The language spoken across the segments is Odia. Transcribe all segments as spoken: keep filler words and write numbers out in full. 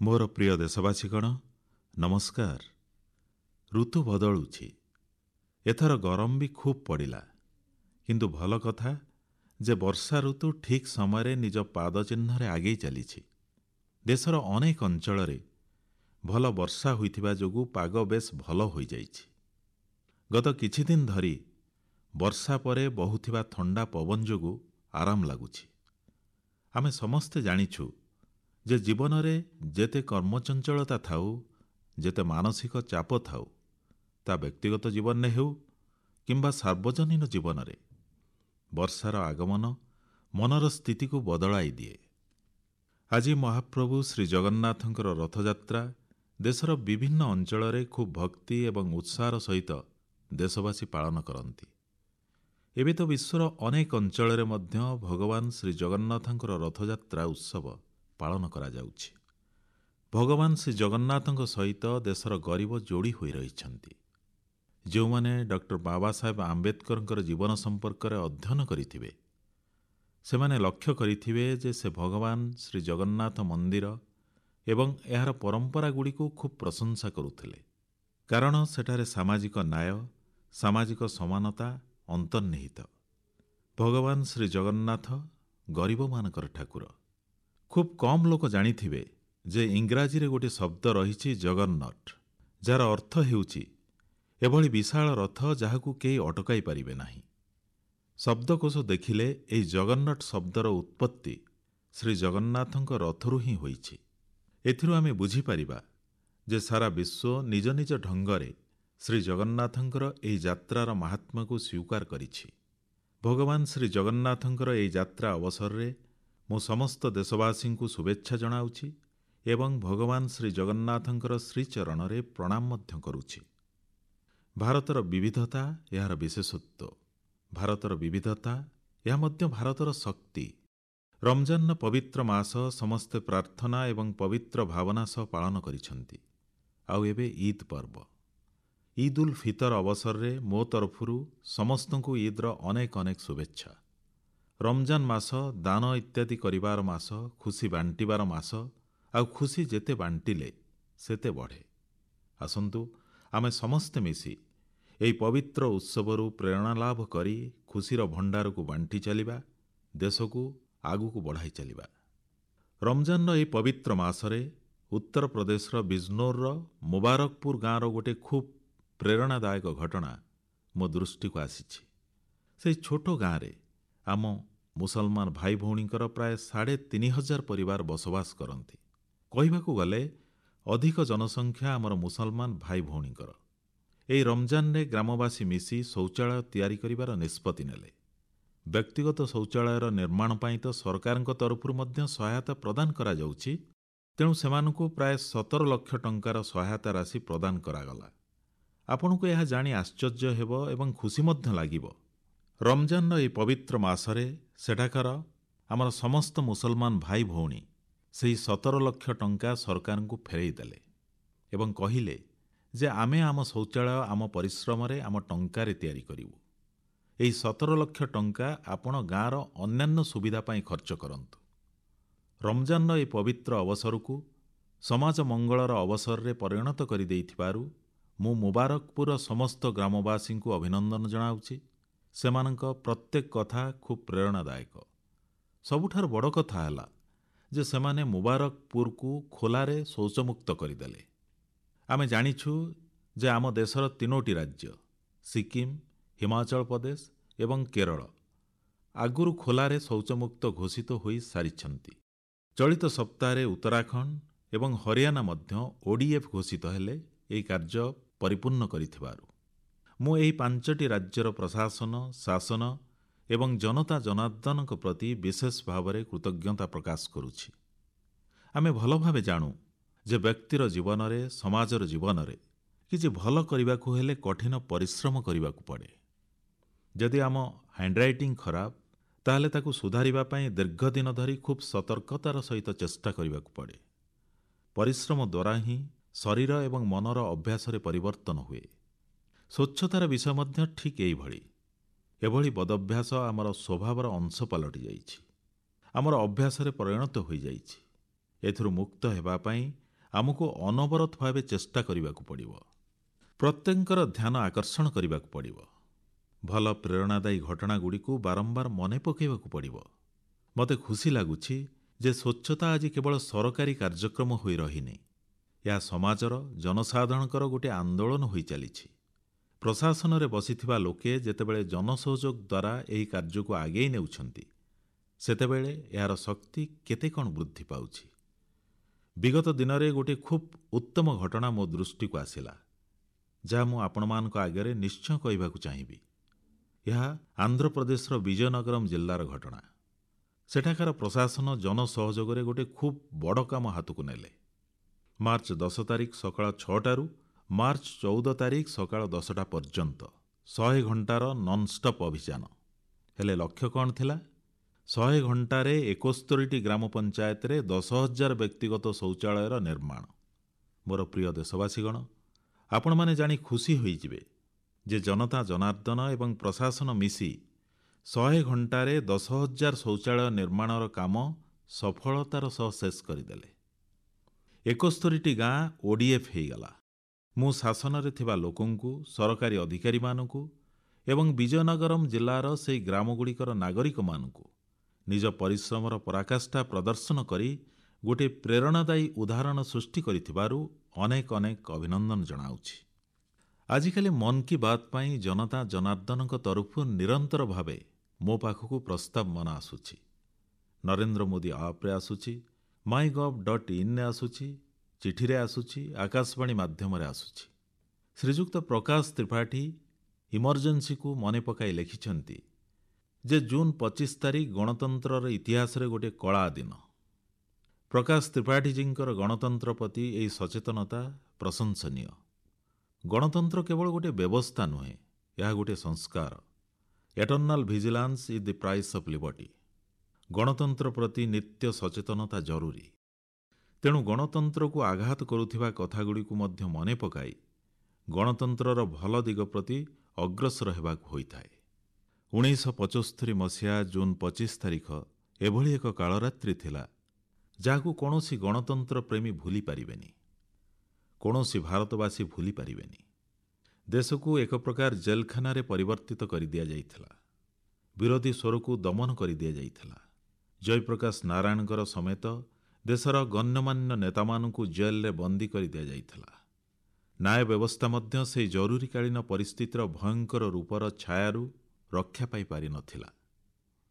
ମୋର ପ୍ରିୟ ଦେଶବାସୀଗଣ, ନମସ୍କାର। ଋତୁ ବଦଳୁଛି। ଏଥର ଗରମ ବି ଖୁବ୍ ପଡ଼ିଲା। କିନ୍ତୁ ଭଲ କଥା ଯେ ବର୍ଷା ଋତୁ ଠିକ୍ ସମୟରେ ନିଜ ପାଦଚିହ୍ନରେ ଆଗେଇ ଚାଲିଛି। ଦେଶର ଅନେକ ଅଞ୍ଚଳରେ ଭଲ ବର୍ଷା ହୋଇଥିବା ଯୋଗୁଁ ପାଗ ବେଶ୍ ଭଲ ହୋଇଯାଇଛି। ଗତ କିଛିଦିନ ଧରି ବର୍ଷା ପରେ ବହୁଥିବା ଥଣ୍ଡା ପବନ ଯୋଗୁଁ ଆରାମ ଲାଗୁଛି। ଆମେ ସମସ୍ତେ ଜାଣିଛୁ ଯେ ଜୀବନରେ ଯେତେ କର୍ମଚଞ୍ଚଳତା ଥାଉ, ଯେତେ ମାନସିକ ଚାପ ଥାଉ, ତା ବ୍ୟକ୍ତିଗତ ଜୀବନରେ ହେଉ କିମ୍ବା ସାର୍ବଜନୀନ ଜୀବନରେ, ବର୍ଷାର ଆଗମନ ମନର ସ୍ଥିତିକୁ ବଦଳାଇ ଦିଏ। ଆଜି ମହାପ୍ରଭୁ ଶ୍ରୀଜଗନ୍ନାଥଙ୍କର ରଥଯାତ୍ରା ଦେଶର ବିଭିନ୍ନ ଅଞ୍ଚଳରେ ଖୁବ୍ ଭକ୍ତି ଏବଂ ଉତ୍ସାହର ସହିତ ଦେଶବାସୀ ପାଳନ କରନ୍ତି। ଏବେ ତ ବିଶ୍ୱର ଅନେକ ଅଞ୍ଚଳରେ ମଧ୍ୟ ଭଗବାନ ଶ୍ରୀଜଗନ୍ନାଥଙ୍କର ରଥଯାତ୍ରା ଉତ୍ସବ ପାଳନ କରାଯାଉଛି। ଭଗବାନ ଶ୍ରୀଜଗନ୍ନାଥଙ୍କ ସହିତ ଦେଶର ଗରିବ ଯୋଡ଼ି ହୋଇ ରହିଛନ୍ତି। ଯେଉଁମାନେ ଡକ୍ଟର ବାବାସାହେବ ଆମ୍ବେଦକରଙ୍କର ଜୀବନ ସମ୍ପର୍କରେ ଅଧ୍ୟୟନ କରିଥିବେ, ସେମାନେ ଲକ୍ଷ୍ୟ କରିଥିବେ ଯେ ସେ ଭଗବାନ ଶ୍ରୀଜଗନ୍ନାଥ ମନ୍ଦିର ଏବଂ ଏହାର ପରମ୍ପରାଗୁଡ଼ିକୁ ଖୁବ୍ ପ୍ରଶଂସା କରୁଥିଲେ, କାରଣ ସେଠାରେ ସାମାଜିକ ନ୍ୟାୟ, ସାମାଜିକ ସମାନତା ଅନ୍ତର୍ନିହିତ। ଭଗବାନ ଶ୍ରୀଜଗନ୍ନାଥ ଗରିବମାନଙ୍କର ଠାକୁର। ଖୁବ୍ କମ୍ ଲୋକ ଜାଣିଥିବେ ଯେ ଇଂରାଜୀରେ ଗୋଟିଏ ଶବ୍ଦ ରହିଛି ଜଗରନଟ୍, ଯାହାର ଅର୍ଥ ହେଉଛି ଏଭଳି ବିଶାଳ ରଥ ଯାହାକୁ କେହି ଅଟକାଇ ପାରିବେ ନାହିଁ। ଶବ୍ଦକୋଷ ଦେଖିଲେ ଏହି ଜଗରନଟ୍ ଶବ୍ଦର ଉତ୍ପତ୍ତି ଶ୍ରୀଜଗନ୍ନାଥଙ୍କ ରଥରୁ ହିଁ ହୋଇଛି। ଏଥିରୁ ଆମେ ବୁଝିପାରିବା ଯେ ସାରା ବିଶ୍ୱ ନିଜ ନିଜ ଢଙ୍ଗରେ ଶ୍ରୀଜଗନ୍ନାଥଙ୍କର ଏହି ଯାତ୍ରାର ମାହାତ୍ମ୍ୟକୁ ସ୍ୱୀକାର କରିଛି। ଭଗବାନ ଶ୍ରୀଜଗନ୍ନାଥଙ୍କର ଏହି ଯାତ୍ରା ଅବସରରେ ମୁଁ ସମସ୍ତ ଦେଶବାସୀଙ୍କୁ ଶୁଭେଚ୍ଛା ଜଣାଉଛି ଏବଂ ଭଗବାନ ଶ୍ରୀଜଗନ୍ନାଥଙ୍କର ଶ୍ରୀଚରଣରେ ପ୍ରଣାମ ମଧ୍ୟ କରୁଛି। ଭାରତର ବିବିଧତା ଏହାର ବିଶେଷତ୍ୱ। ଭାରତର ବିବିଧତା ଏହା ମଧ୍ୟ ଭାରତର ଶକ୍ତି। ରମଜାନର ପବିତ୍ର ମାସ ସମସ୍ତେ ପ୍ରାର୍ଥନା ଏବଂ ପବିତ୍ର ଭାବନା ସହ ପାଳନ କରିଛନ୍ତି। ଆଉ ଏବେ ଇଦ୍ ପର୍ବ। ଇଦ୍ ଉଲ୍ ଫିତର ଅବସରରେ ମୋ ତରଫରୁ ସମସ୍ତଙ୍କୁ ଇଦ୍ର ଅନେକ ଅନେକ ଶୁଭେଚ୍ଛା। ରମଜାନ ମାସ ଦାନ ଇତ୍ୟାଦି କରିବାର ମାସ, ଖୁସି ବାଣ୍ଟିବାର ମାସ, ଆଉ ଖୁସି ଯେତେ ବାଣ୍ଟିଲେ ସେତେ ବଢ଼େ। ଆସନ୍ତୁ ଆମେ ସମସ୍ତେ ମିଶି ଏହି ପବିତ୍ର ଉତ୍ସବରୁ ପ୍ରେରଣା ଲାଭ କରି ଖୁସିର ଭଣ୍ଡାରକୁ ବାଣ୍ଟି ଚାଲିବା, ଦେଶକୁ ଆଗକୁ ବଢ଼ାଇ ଚାଲିବା। ରମଜାନର ଏହି ପବିତ୍ର ମାସରେ ଉତ୍ତରପ୍ରଦେଶର ବିଜନୋରର ମୁବାରକପୁର ଗାଁର ଗୋଟିଏ ଖୁବ୍ ପ୍ରେରଣାଦାୟକ ଘଟଣା ମୋ ଦୃଷ୍ଟିକୁ ଆସିଛି। ସେହି ଛୋଟ ଗାଁରେ ଆମ ମୁସଲମାନ ଭାଇ ଭଉଣୀଙ୍କର ପ୍ରାୟ ସାଢ଼େ ତିନି ହଜାର ପରିବାର ବସବାସ କରନ୍ତି। କହିବାକୁ ଗଲେ ଅଧିକ ଜନସଂଖ୍ୟା ଆମର ମୁସଲମାନ ଭାଇ ଭଉଣୀଙ୍କର। ଏହି ରମଜାନରେ ଗ୍ରାମବାସୀ ମିଶି ଶୌଚାଳୟ ତିଆରି କରିବାର ନିଷ୍ପତ୍ତି ନେଲେ। ବ୍ୟକ୍ତିଗତ ଶୌଚାଳୟର ନିର୍ମାଣ ପାଇଁ ତ ସରକାରଙ୍କ ତରଫରୁ ମଧ୍ୟ ସହାୟତା ପ୍ରଦାନ କରାଯାଉଛି, ତେଣୁ ସେମାନଙ୍କୁ ପ୍ରାୟ ସତର ଲକ୍ଷ ଟଙ୍କାର ସହାୟତା ରାଶି ପ୍ରଦାନ କରାଗଲା। ଆପଣଙ୍କୁ ଏହା ଜାଣି ଆଶ୍ଚର୍ଯ୍ୟ ହେବ ଏବଂ ଖୁସି ମଧ୍ୟ ଲାଗିବ। ରମଜାନର ଏହି ପବିତ୍ର ମାସରେ ସେଠାକାର ଆମର ସମସ୍ତ ମୁସଲମାନ ଭାଇ ଭଉଣୀ ସେହି ସତର ଲକ୍ଷ ଟଙ୍କା ସରକାରଙ୍କୁ ଫେରାଇ ଦେଲେ ଏବଂ କହିଲେ ଯେ ଆମେ ଆମ ଶୌଚାଳୟ ଆମ ପରିଶ୍ରମରେ ଆମ ଟଙ୍କାରେ ତିଆରି କରିବୁ। ଏହି ସତର ଲକ୍ଷ ଟଙ୍କା ଆପଣ ଗାଁର ଅନ୍ୟାନ୍ୟ ସୁବିଧା ପାଇଁ ଖର୍ଚ୍ଚ କରନ୍ତୁ। ରମଜାନର ଏହି ପବିତ୍ର ଅବସରକୁ ସମାଜ ମଙ୍ଗଳର ଅବସରରେ ପରିଣତ କରିଦେଇଥିବାରୁ ମୁଁ ମୁବାରକପୁରର ସମସ୍ତ ଗ୍ରାମବାସୀଙ୍କୁ ଅଭିନନ୍ଦନ ଜଣାଉଛି। ସେମାନଙ୍କ ପ୍ରତ୍ୟେକ କଥା ଖୁବ୍ ପ୍ରେରଣାଦାୟକ। ସବୁଠାରୁ ବଡ଼ କଥା ହେଲା ଯେ ସେମାନେ ମୁବାରକପୁରକୁ ଖୋଲାରେ ଶୌଚମୁକ୍ତ କରିଦେଲେ। ଆମେ ଜାଣିଛୁ ଯେ ଆମ ଦେଶର ତିନୋଟି ରାଜ୍ୟ ସିକିମ୍, ହିମାଚଳ ପ୍ରଦେଶ ଏବଂ କେରଳ ଆଗରୁ ଖୋଲାରେ ଶୌଚମୁକ୍ତ ଘୋଷିତ ହୋଇ ସାରିଛନ୍ତି। ଚଳିତ ସପ୍ତାହରେ ଉତ୍ତରାଖଣ୍ଡ ଏବଂ ହରିୟାଣା ମଧ୍ୟ ଓଡିଏଫ୍ ଘୋଷିତ ହେଲେ ଏହି କାର୍ଯ୍ୟ ପରିପୂର୍ଣ୍ଣ କରିଥିବାରୁ ମୁଁ ଏହି ପାଞ୍ଚଟି ରାଜ୍ୟର ପ୍ରଶାସନ, ଶାସନ ଏବଂ ଜନତା ଜନାର୍ଦ୍ଦନଙ୍କ ପ୍ରତି ବିଶେଷ ଭାବରେ କୃତଜ୍ଞତା ପ୍ରକାଶ କରୁଛି। ଆମେ ଭଲ ଭାବେ ଜାଣୁ ଯେ ବ୍ୟକ୍ତିର ଜୀବନରେ, ସମାଜର ଜୀବନରେ କିଛି ଭଲ କରିବାକୁ ହେଲେ କଠିନ ପରିଶ୍ରମ କରିବାକୁ ପଡ଼େ। ଯଦି ଆମ ହ୍ୟାଣ୍ଡରାଇଟିଂ ଖରାପ, ତାହେଲେ ତାକୁ ସୁଧାରିବା ପାଇଁ ଦୀର୍ଘ ଦିନ ଧରି ଖୁବ୍ ସତର୍କତାର ସହିତ ଚେଷ୍ଟା କରିବାକୁ ପଡ଼େ। ପରିଶ୍ରମ ଦ୍ୱାରା ହିଁ ଶରୀର ଏବଂ ମନର ଅଭ୍ୟାସରେ ପରିବର୍ତ୍ତନ ହୁଏ। ସ୍ୱଚ୍ଛତାର ବିଷୟ ମଧ୍ୟ ଠିକ୍ ଏଇଭଳି। ଏଭଳି ବଦଭ୍ୟାସ ଆମର ସ୍ୱଭାବର ଅଂଶ ପାଲଟି ଯାଇଛି, ଆମର ଅଭ୍ୟାସରେ ପରିଣତ ହୋଇଯାଇଛି। ଏଥିରୁ ମୁକ୍ତ ହେବା ପାଇଁ ଆମକୁ ଅନବରତ ଭାବେ ଚେଷ୍ଟା କରିବାକୁ ପଡ଼ିବ। ପ୍ରତ୍ୟେକଙ୍କର ଧ୍ୟାନ ଆକର୍ଷଣ କରିବାକୁ ପଡ଼ିବ। ଭଲ ପ୍ରେରଣାଦାୟୀ ଘଟଣାଗୁଡ଼ିକୁ ବାରମ୍ବାର ମନେ ପକାଇବାକୁ ପଡ଼ିବ। ମୋତେ ଖୁସି ଲାଗୁଛି ଯେ ସ୍ୱଚ୍ଛତା ଆଜି କେବଳ ସରକାରୀ କାର୍ଯ୍ୟକ୍ରମ ହୋଇ ରହିନି। ଏହା ସମାଜର ଜନସାଧାରଣଙ୍କର ଗୋଟିଏ ଆନ୍ଦୋଳନ ହୋଇ ଚାଲିଛି। ପ୍ରଶାସନରେ ବସିଥିବା ଲୋକେ ଯେତେବେଳେ ଜନସହଯୋଗ ଦ୍ୱାରା ଏହି କାର୍ଯ୍ୟକୁ ଆଗେଇ ନେଉଛନ୍ତି, ସେତେବେଳେ ଏହାର ଶକ୍ତି କେତେ କଣ ବୃଦ୍ଧି ପାଉଛି। ବିଗତ ଦିନରେ ଗୋଟିଏ ଖୁବ୍ ଉତ୍ତମ ଘଟଣା ମୋ ଦୃଷ୍ଟିକୁ ଆସିଲା, ଯାହା ମୁଁ ଆପଣମାନଙ୍କ ଆଗରେ ନିଶ୍ଚୟ କହିବାକୁ ଚାହିଁବି। ଏହା ଆନ୍ଧ୍ରପ୍ରଦେଶର ବିଜୟନଗରମ ଜିଲ୍ଲାର ଘଟଣା। ସେଠାକାର ପ୍ରଶାସନ ଜନସହଯୋଗରେ ଗୋଟିଏ ଖୁବ୍ ବଡ଼ କାମ ହାତକୁ ନେଲେ। ମାର୍ଚ୍ଚ ଦଶ ତାରିଖ ସକାଳ ଛଅଟାରୁ ମାର୍ଚ୍ଚ ଚଉଦ ତାରିଖ ସକାଳ ଦଶଟା ପର୍ଯ୍ୟନ୍ତ ଶହେ ଘଣ୍ଟାର ନନ୍ଷ୍ଟପ୍ ଅଭିଯାନ। ହେଲେ ଲକ୍ଷ୍ୟ କ'ଣ ଥିଲା? ଶହେ ଘଣ୍ଟାରେ ଏକସ୍ତରୀଟି ଗ୍ରାମ ପଞ୍ଚାୟତରେ ଦଶ ହଜାର ବ୍ୟକ୍ତିଗତ ଶୌଚାଳୟର ନିର୍ମାଣ। ମୋର ପ୍ରିୟ ଦେଶବାସୀଗଣ, ଆପଣମାନେ ଜାଣି ଖୁସି ହୋଇଯିବେ ଯେ ଜନତା ଜନାର୍ଦ୍ଦନ ଏବଂ ପ୍ରଶାସନ ମିଶି ଶହେ ଘଣ୍ଟାରେ ଦଶ ହଜାର ଶୌଚାଳୟ ନିର୍ମାଣର କାମ ସଫଳତାର ସହ ଶେଷ କରିଦେଲେ। ଏକସ୍ତରୀଟି ଗାଁ ଓଡିଏଫ୍ ହେଇଗଲା। ମୁଁ ଶାସନରେ ଥିବା ଲୋକଙ୍କୁ, ସରକାରୀ ଅଧିକାରୀମାନଙ୍କୁ ଏବଂ ବିଜୟନଗରମ ଜିଲ୍ଲାର ସେହି ଗ୍ରାମଗୁଡ଼ିକର ନାଗରିକମାନଙ୍କୁ ନିଜ ପରିଶ୍ରମର ପରାକାଷ୍ଠା ପ୍ରଦର୍ଶନ କରି ଗୋଟିଏ ପ୍ରେରଣାଦାୟୀ ଉଦାହରଣ ସୃଷ୍ଟି କରିଥିବାରୁ ଅନେକ ଅନେକ ଅଭିନନ୍ଦନ ଜଣାଉଛି। ଆଜିକାଲି ମନ୍ କି ବାତ୍ ପାଇଁ ଜନତା ଜନାର୍ଦ୍ଦନଙ୍କ ତରଫରୁ ନିରନ୍ତର ଭାବେ ମୋ ପାଖକୁ ପ୍ରସ୍ତାବମାନ ଆସୁଛି। ନରେନ୍ଦ୍ର ମୋଦି ଆପ୍ରେ ଆସୁଛି, ମାଇ ଗଭ୍ ଡଟ୍ ଇନ୍ରେ ଆସୁଛି, ଚିଠିରେ ଆସୁଛି, ଆକାଶବାଣୀ ମାଧ୍ୟମରେ ଆସୁଛି। ଶ୍ରୀଯୁକ୍ତ ପ୍ରକାଶ ତ୍ରିପାଠୀ ଇମର୍ଜେନ୍ସିକୁ ମନେ ପକାଇ ଲେଖିଛନ୍ତି ଯେ ଜୁନ୍ ପଚିଶ ତାରିଖ ଗଣତନ୍ତ୍ରର ଇତିହାସରେ ଗୋଟିଏ କଳା ଦିନ। ପ୍ରକାଶ ତ୍ରିପାଠୀଜୀଙ୍କର ଗଣତନ୍ତ୍ର ପ୍ରତି ଏହି ସଚେତନତା ପ୍ରଶଂସନୀୟ। ଗଣତନ୍ତ୍ର କେବଳ ଗୋଟିଏ ବ୍ୟବସ୍ଥା ନୁହେଁ, ଏହା ଗୋଟିଏ ସଂସ୍କାର। Eternal vigilance is the price of liberty. ଗଣତନ୍ତ୍ର ପ୍ରତି ନିତ୍ୟ ସଚେତନତା ଜରୁରୀ। ତେଣୁ ଗଣତନ୍ତ୍ରକୁ ଆଘାତ କରୁଥିବା କଥାଗୁଡ଼ିକୁ ମଧ୍ୟ ମନେ ପକାଇ ଗଣତନ୍ତ୍ରର ଭଲ ଦିଗ ପ୍ରତି ଅଗ୍ରସର ହେବାକୁ ହୋଇଥାଏ। ଉଣେଇଶହ ପଚସ୍ତରୀ ମସିହା ଜୁନ୍ ପଚିଶ ତାରିଖ ଏଭଳି ଏକ କାଳରାତ୍ରି ଥିଲା, ଯାହାକୁ କୌଣସି ଗଣତନ୍ତ୍ର ପ୍ରେମୀ ଭୁଲି ପାରିବେନି, କୌଣସି ଭାରତବାସୀ ଭୁଲି ପାରିବେନି। ଦେଶକୁ ଏକ ପ୍ରକାର ଜେଲଖାନାରେ ପରିବର୍ତ୍ତିତ କରିଦିଆଯାଇଥିଲା। ବିରୋଧୀ ସ୍ୱରକୁ ଦମନ କରିଦିଆଯାଇଥିଲା। ଜୟପ୍ରକାଶ ନାରାୟଣଙ୍କର ସମେତ ଦେଶର ଗଣ୍ୟମାନ୍ୟ ନେତାମାନଙ୍କୁ ଜେଲରେ ବନ୍ଦୀ କରିଦିଆଯାଇଥିଲା। ନ୍ୟାୟ ବ୍ୟବସ୍ଥା ମଧ୍ୟ ସେହି ଜରୁରୀକାଳୀନ ପରିସ୍ଥିତିର ଭୟଙ୍କର ରୂପର ଛାୟାରୁ ରକ୍ଷା ପାଇପାରିନଥିଲା।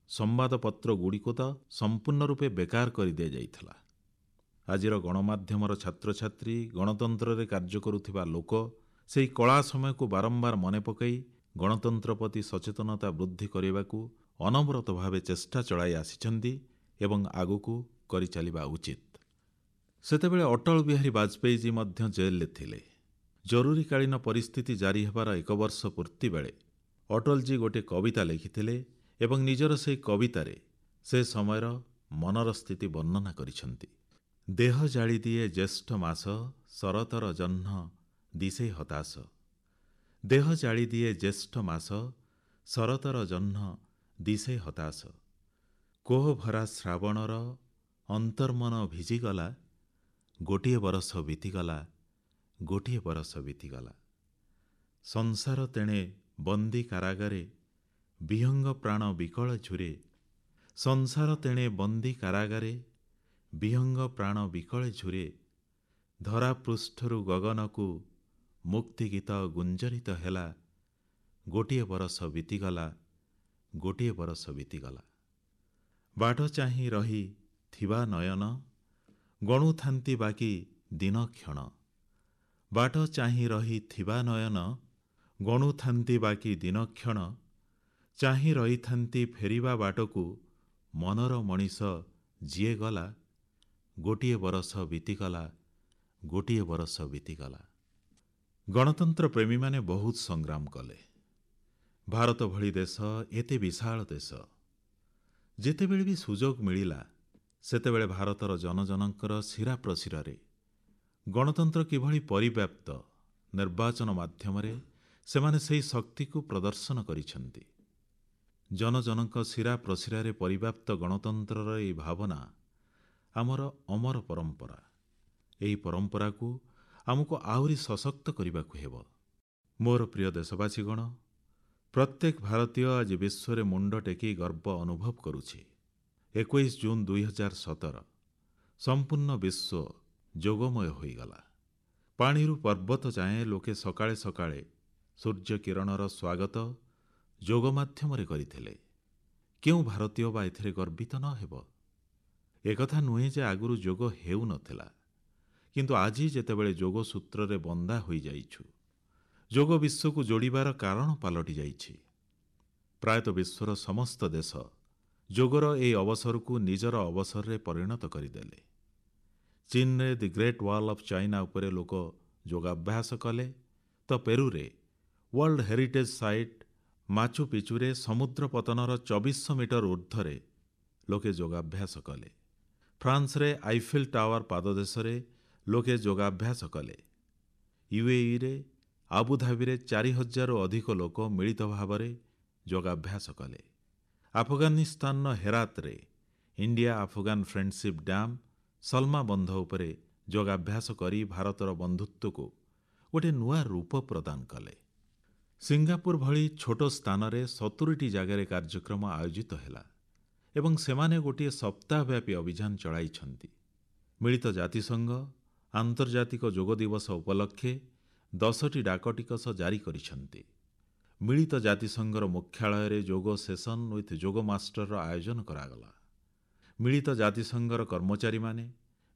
ସମ୍ବାଦପତ୍ରଗୁଡ଼ିକୁ ତ ସମ୍ପୂର୍ଣ୍ଣ ରୂପେ ବେକାର କରିଦିଆଯାଇଥିଲା। ଆଜିର ଗଣମାଧ୍ୟମର ଛାତ୍ରଛାତ୍ରୀ, ଗଣତନ୍ତ୍ରରେ କାର୍ଯ୍ୟ କରୁଥିବା ଲୋକ ସେହି କଳା ସମୟକୁ ବାରମ୍ବାର ମନେ ପକାଇ ଗଣତନ୍ତ୍ର ପ୍ରତି ସଚେତନତା ବୃଦ୍ଧି କରିବାକୁ ଅନବରତ ଭାବେ ଚେଷ୍ଟା ଚଳାଇ ଆସିଛନ୍ତି ଏବଂ ଆଗକୁ କରିଚାଲିବା ଉଚିତ। ସେତେବେଳେ ଅଟଳ ବିହାରୀ ବାଜପେୟୀଜୀ ମଧ୍ୟ ଜେଲରେ ଥିଲେ। ଜରୁରୀକାଳୀନ ପରିସ୍ଥିତି ଜାରି ହେବାର ଏକ ବର୍ଷ ପୂର୍ତ୍ତି ବେଳେ ଅଟଳଜୀ ଗୋଟିଏ କବିତା ଲେଖିଥିଲେ ଏବଂ ନିଜର ସେହି କବିତାରେ ସେ ସମୟର ମନର ସ୍ଥିତି ବର୍ଣ୍ଣନା କରିଛନ୍ତି। ଦେହ ଜାଳିଦିଏ ଜ୍ୟେଷ୍ଠ ମାସ, ଶରତର ଜହ୍ନ ଦିଶେ ହତାଶ। ଦେହ ଜାଳିଦିଏ ଜ୍ୟେଷ୍ଠ ମାସ, ଶରତର ଜହ୍ନ ଦିଶେ ହତାଶ। କୋହ ଭରା ଶ୍ରାବଣର ଅନ୍ତର୍ମନ ଭିଜିଗଲା, ଗୋଟିଏ ବରଷ ବିତିଗଲା, ଗୋଟିଏ ବରଷ ବିତିଗଲା। ସଂସାର ତେଣେ ବନ୍ଦୀ କାରାଗାରେ, ବିହଙ୍ଗ ପ୍ରାଣ ବିକଳ ଝୁରେ। ସଂସାର ତେଣେ ବନ୍ଦୀ କାରାଗାରେ, ବିହଙ୍ଗ ପ୍ରାଣ ବିକଳେ ଝୁରେ। ଧରାପୃଷ୍ଠରୁ ଗଗନକୁ ମୁକ୍ତିଗୀତ ଗୁଞ୍ଜରିତ ହେଲା, ଗୋଟିଏ ବରଷ ବିତିଗଲା, ଗୋଟିଏ ବରଷ ବିତିଗଲା। ବାଟ ଚାହିଁ ରହି ଥିବା ନୟନ, ଗଣୁଥାନ୍ତି ବାକି ଦିନ କ୍ଷଣ। ବାଟ ଚାହିଁ ରହି ଥିବା ନୟନ, ଗଣୁଥାନ୍ତି ବାକି ଦିନ କ୍ଷଣ। ଚାହିଁ ରହିଥାନ୍ତି ଫେରିବା ବାଟକୁ, ମନର ମଣିଷ ଯିଏ ଗଲା, ଗୋଟିଏ ବରଷ ବିତିଗଲା, ଗୋଟିଏ ବରଷ ବିତିଗଲା। ଗଣତନ୍ତ୍ର ପ୍ରେମୀମାନେ ବହୁତ ସଂଗ୍ରାମ କଲେ। ଭାରତ ଭଳି ଦେଶ, ଏତେ ବିଶାଳ ଦେଶ, ଯେତେବେଳେ ବି ସୁଯୋଗ ମିଳିଲା ସେତେବେଳେ ଭାରତର ଜନଜନଙ୍କର ଶିରା ପ୍ରଶିରାରେ ଗଣତନ୍ତ୍ର କିଭଳି ପରିବ୍ୟାପ୍ତ, ନିର୍ବାଚନ ମାଧ୍ୟମରେ ସେମାନେ ସେହି ଶକ୍ତିକୁ ପ୍ରଦର୍ଶନ କରିଛନ୍ତି। ଜନଜନଙ୍କ ଶିରା ପ୍ରଶିରାରେ ପରିବ୍ୟାପ୍ତ ଗଣତନ୍ତ୍ରର ଏହି ଭାବନା ଆମର ଅମର ପରମ୍ପରା। ଏହି ପରମ୍ପରାକୁ ଆମକୁ ଆହୁରି ସଶକ୍ତ କରିବାକୁ ହେବ। ମୋର ପ୍ରିୟ ଦେଶବାସୀଗଣ, ପ୍ରତ୍ୟେକ ଭାରତୀୟ ଆଜି ବିଶ୍ୱରେ ମୁଣ୍ଡ ଟେକି ଗର୍ବ ଅନୁଭବ କରୁଛି। ଏକୋଇଶ ଜୁନ୍ ଦୁଇହଜାର ସତର ସମ୍ପୂର୍ଣ୍ଣ ବିଶ୍ୱ ଯୋଗମୟ ହୋଇଗଲା। ପାଣିରୁ ପର୍ବତ ଯାଏଁ ଲୋକେ ସକାଳେ ସକାଳେ ସୂର୍ଯ୍ୟକିରଣର ସ୍ୱାଗତ ଯୋଗ ମାଧ୍ୟମରେ କରିଥିଲେ। କେଉଁ ଭାରତୀୟ ବା ଏଥିରେ ଗର୍ବିତ ନ ହେବ? ଏକଥା ନୁହେଁ ଯେ ଆଗରୁ ଯୋଗ ହେଉନଥିଲା, କିନ୍ତୁ ଆଜି ଯେତେବେଳେ ଯୋଗ ସୂତ୍ରରେ ବନ୍ଧା ହୋଇଯାଇଛୁ, ଯୋଗ ବିଶ୍ୱକୁ ଯୋଡ଼ିବାର କାରଣ ପାଲଟି ଯାଇଛି। ପ୍ରାୟତଃ ବିଶ୍ୱର ସମସ୍ତ ଦେଶ ଯୋଗର ଏହି ଅବସରକୁ ନିଜର ଅବସରରେ ପରିଣତ କରିଦେଲେ। ଚୀନରେ The Great Wall of China ଉପରେ ଲୋକ ଯୋଗାଭ୍ୟାସ କଲେ ତ ପେରୁରେ ୱାର୍ଲଡ ହେରିଟେଜ୍ ସାଇଟ୍ ମାଚୁ ପିଚୁରେ ସମୁଦ୍ର ପତନର ଚବିଶଶହ ମିଟର ଊର୍ଦ୍ଧ୍ୱରେ ଲୋକେ ଯୋଗାଭ୍ୟାସ କଲେ। ଫ୍ରାନ୍ସରେ ଆଇଫେଲ୍ ଟାୱାର ପାଦଦେଶରେ ଲୋକେ ଯୋଗାଭ୍ୟାସ କଲେ। ୟୁଏଇରେ ଆବୁଧାବିରେ ଚାରି ହଜାରରୁ ଅଧିକ ଲୋକ ମିଳିତ ଭାବରେ ଯୋଗାଭ୍ୟାସ କଲେ। ଆଫଗାନିସ୍ତାନର ହେରାତରେ India Afghan friendship dam Salma ବନ୍ଧ ଉପରେ ଯୋଗାଭ୍ୟାସ କରି ଭାରତର ବନ୍ଧୁତ୍ୱକୁ ଗୋଟିଏ ନୂଆ ରୂପ ପ୍ରଦାନ କଲେ। ସିଙ୍ଗାପୁର ଭଳି ଛୋଟ ସ୍ଥାନରେ ସତୁରିଟି ଜାଗାରେ କାର୍ଯ୍ୟକ୍ରମ ଆୟୋଜିତ ହେଲା ଏବଂ ସେମାନେ ଗୋଟିଏ ସପ୍ତାହବ୍ୟାପୀ ଅଭିଯାନ ଚଳାଇଛନ୍ତି। ମିଳିତ ଜାତିସଂଘ ଆନ୍ତର୍ଜାତିକ ଯୋଗ ଦିବସ ଉପଲକ୍ଷେ ଦଶଟି ଡାକଟିକଟ ଜାରି କରିଛନ୍ତି। ମିଳିତ ଜାତିସଂଘର ମୁଖ୍ୟାଳୟରେ ଯୋଗ ସେସନ୍ ୱିଥ୍ ଯୋଗ ମାଷ୍ଟରର ଆୟୋଜନ କରାଗଲା। ମିଳିତ ଜାତିସଂଘର କର୍ମଚାରୀମାନେ,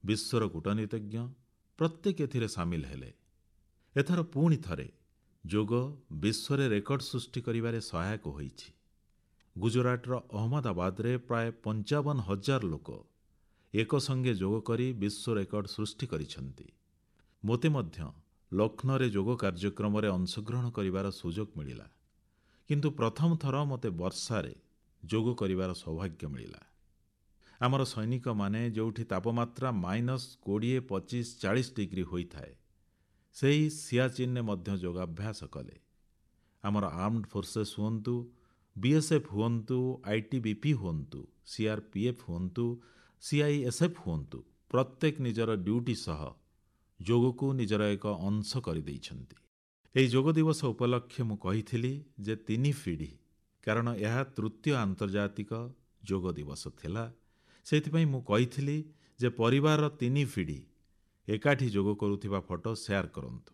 ବିଶ୍ୱର କୂଟନୀତିଜ୍ଞ ପ୍ରତ୍ୟେକ ଏଥିରେ ସାମିଲ ହେଲେ। ଏଥର ପୁଣି ଥରେ ଯୋଗ ବିଶ୍ୱରେ ରେକର୍ଡ ସୃଷ୍ଟି କରିବାରେ ସହାୟକ ହୋଇଛି। ଗୁଜରାଟର ଅହମ୍ମଦାବାଦରେ ପ୍ରାୟ ପଞ୍ଚାବନ ହଜାର ଲୋକ ଏକସଙ୍ଗେ ଯୋଗ କରି ବିଶ୍ୱ ରେକର୍ଡ ସୃଷ୍ଟି କରିଛନ୍ତି। ମୋତେ ମଧ୍ୟ ଲକ୍ଷ୍ନୌରେ ଯୋଗ କାର୍ଯ୍ୟକ୍ରମରେ ଅଂଶଗ୍ରହଣ କରିବାର ସୁଯୋଗ ମିଳିଲା, କିନ୍ତୁ ପ୍ରଥମ ଥର ମୋତେ ବର୍ଷାରେ ଯୋଗ କରିବାର ସୌଭାଗ୍ୟ ମିଳିଲା। ଆମର ସୈନିକମାନେ ଯେଉଁଠି ତାପମାତ୍ରା ମାଇନସ୍ କୋଡ଼ିଏ, ପଚିଶ, ଚାଳିଶ ଡିଗ୍ରୀ ହୋଇଥାଏ, ସେହି ସିଆଚିନ୍ରେ ମଧ୍ୟ ଯୋଗାଭ୍ୟାସ କଲେ। ଆମର ଆର୍ମଡ ଫୋର୍ସେସ୍ ହୁଅନ୍ତୁ, ବିଏସ୍ଏଫ୍ ହୁଅନ୍ତୁ, ଆଇଟିବିପି ହୁଅନ୍ତୁ, ସିଆର୍ପିଏଫ୍ ହୁଅନ୍ତୁ, ସିଆଇଏସ୍ଏଫ୍ ହୁଅନ୍ତୁ, ପ୍ରତ୍ୟେକ ନିଜର ଡ୍ୟୁଟି ସହ ଯୋଗକୁ ନିଜର ଏକ ଅଂଶ କରିଦେଇଛନ୍ତି। ଏହି ଯୋଗ ଦିବସ ଉପଲକ୍ଷେ ମୁଁ କହିଥିଲି ଯେ ତିନି ପିଢ଼ି, କାରଣ ଏହା ତୃତୀୟ ଆନ୍ତର୍ଜାତିକ ଯୋଗ ଦିବସ ଥିଲା। ସେଇଥିପାଇଁ ମୁଁ କହିଥିଲି ଯେ ପରିବାରର ତିନି ପିଢ଼ି ଏକାଠି ଯୋଗ କରୁଥିବା ଫଟୋ ସେୟାର କରନ୍ତୁ।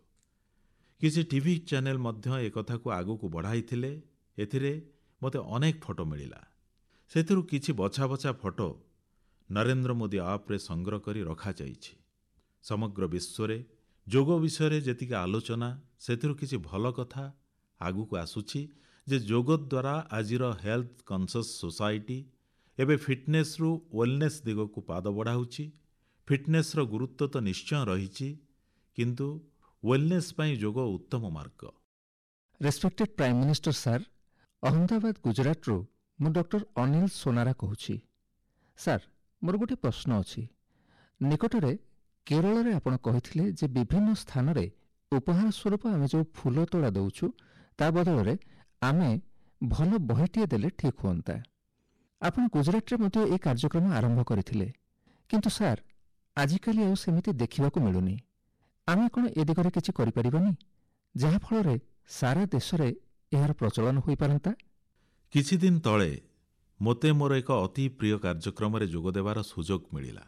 କିଛି ଟିଭି ଚ୍ୟାନେଲ ମଧ୍ୟ ଏକଥାକୁ ଆଗକୁ ବଢ଼ାଇଥିଲେ। ଏଥିରେ ମୋତେ ଅନେକ ଫଟୋ ମିଳିଲା। ସେଥିରୁ କିଛି ବଛା ବଛା ଫଟୋ ନରେନ୍ଦ୍ର ମୋଦି ଆପ୍ରେ ସଂଗ୍ରହ କରି ରଖାଯାଇଛି। ସମଗ୍ର ବିଶ୍ୱରେ ଯୋଗ ବିଷୟରେ ଯେତିକି ଆଲୋଚନା, ସେଥିରୁ କିଛି ଭଲ କଥା ଆଗକୁ ଆସୁଛି ଯେ ଯୋଗ ଦ୍ୱାରା ଆଜିର ହେଲ୍ଥ କନସିୟସ୍ ସୋସାଇଟି ଏବେ ଫିଟନେସ୍ରୁ ୱେଲନେସ୍ ଦିଗକୁ ପାଦ ବଢ଼ାଉଛି। ଫିଟନେସ୍ର ଗୁରୁତ୍ୱ ତ ନିଶ୍ଚୟ ରହିଛି, କିନ୍ତୁ ୱେଲନେସ୍ ପାଇଁ ଯୋଗ ଉତ୍ତମ ମାର୍ଗ। Respected prime minister sir, Ahmedabad, ଗୁଜରାଟରୁ ମୁଁ ଡକ୍ଟର ଅନିଲ ସୋନାରା କହୁଛି। ସାର୍, ମୋର ଗୋଟିଏ ପ୍ରଶ୍ନ ଅଛି। ନିକଟରେ କେରଳରେ ଆପଣ କହିଥିଲେ ଯେ ବିଭିନ୍ନ ସ୍ଥାନରେ ଉପହାର ସ୍ୱରୂପ ଆମେ ଯେଉଁ ଫୁଲ ତୋଡ଼ା ଦେଉଛୁ, ତା ବଦଳରେ ଆମେ ଭଲ ବହିଟିଏ ଦେଲେ ଠିକ୍ ହୁଅନ୍ତା। ଆପଣ ଗୁଜରାଟରେ ମଧ୍ୟ ଏ କାର୍ଯ୍ୟକ୍ରମ ଆରମ୍ଭ କରିଥିଲେ, କିନ୍ତୁ ସାର୍, ଆଜିକାଲି ଆଉ ସେମିତି ଦେଖିବାକୁ ମିଳୁନି। ଆମେ କ'ଣ ଏ ଦିଗରେ କିଛି କରିପାରିବାନି, ଯାହାଫଳରେ ସାରା ଦେଶରେ ଏହାର ପ୍ରଚଳନ ହୋଇପାରନ୍ତା? କିଛି ଦିନ ତଳେ ମୋତେ ମୋର ଏକ ଅତି ପ୍ରିୟ କାର୍ଯ୍ୟକ୍ରମରେ ଯୋଗଦେବାର ସୁଯୋଗ ମିଳିଲା।